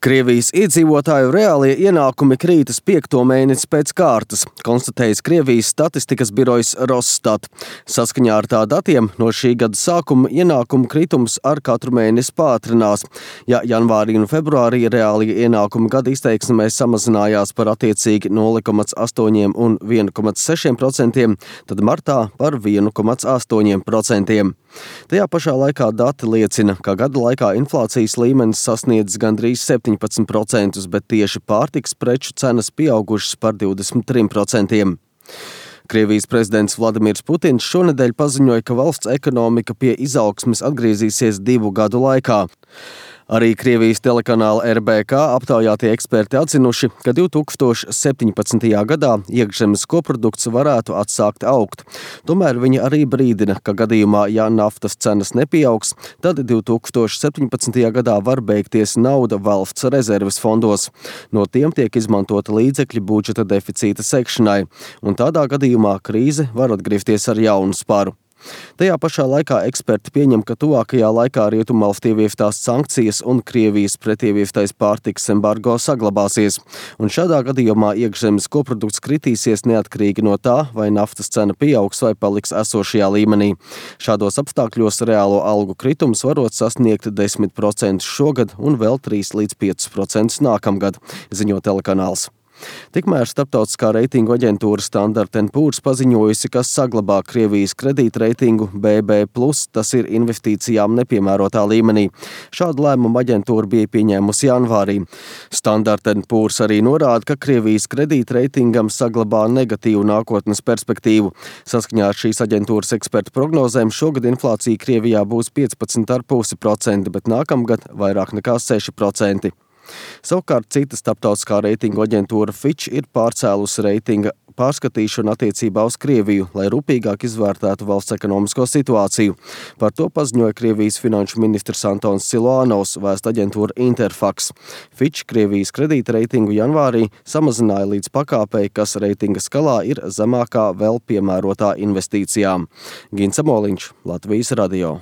Krievijas iedzīvotāju reālie ienākumi krītas 5. mēnesi pēc kārtas, konstatējis Krievijas statistikas birojs Rosstat. Saskaņā ar tā datiem no šī gada sākuma ienākumu kritums ar katru mēnesi pātrinās. Ja janvārī un februārī reālie ienākumi gada izteiksmē samazinājās par attiecīgi 0,8 un 1,6%, tad martā par 1,8%. Tajā pašā laikā dati liecina, ka gada laikā inflācijas līmenis sasniedz gandrīz 17%, bet tieši pārtikas preču cenas pieaugušas par 23%. Krievijas prezidents Vladimirs Putins šonedēļ paziņoja, ka valsts ekonomika pie izaugsmes atgriezīsies 2 gadu laikā. Arī Krievijas telekanāla RBK aptaujātie eksperti atzinuši, ka 2017. gadā iekšzemes koprodukts varētu atsākt augt. Tomēr viņi arī brīdina, ka gadījumā, ja naftas cenas nepieaugs, tad 2017. gadā var beigties nauda valsts rezerves fondos. No tiem tiek izmantota līdzekļi budžeta deficīta sekšanai, un tādā gadījumā krīze var atgriezties ar jaunu sparu. Tajā pašā laikā eksperti pieņem, ka tuvākajā laikā Rietumvalstu ievieftās sankcijas un Krievijas pretievieftais pārtikas embargo saglabāsies, un šādā gadījumā iekšzemes koprodukts kritīsies neatkarīgi no tā, vai naftas cena pieaugs vai paliks esošajā līmenī. Šādos apstākļos reālo algu kritums varot sasniegt 10% šogad un vēl 3 līdz 5% nākamgad, ziņo telekanāls. Tikmēr starptautiskā reitingu aģentūra Standard & Poor's paziņojusi, ka saglabā Krievijas kredītreitingu BB+, tas ir investīcijām nepiemērotā līmenī. Šādu lēmumu aģentūra bija pieņēmusi janvārī. Standard & Poor's arī norāda, ka Krievijas kredītreitingam saglabā negatīvu nākotnes perspektīvu. Saskaņā ar šīs aģentūras ekspertu prognozēm šogad inflācija Krievijā būs 15,5%, bet nākamgad vairāk nekā 6%. Savukārt cita starptautiskā reitingu aģentūra Fitch ir pārcēlusi reitinga pārskatīšanu attiecībā uz Krieviju, lai rūpīgāk izvērtētu valsts ekonomisko situāciju. Par to paziņoja Krievijas finanšu ministrs Antons Siluanovs, vēst aģentūra Interfax. Fitch Krievijas kredīta reitingu janvārī samazināja līdz pakāpei, kas reitinga skalā ir zemākā vēl piemērotā investīcijām. Gints Amoliņš, Latvijas radio.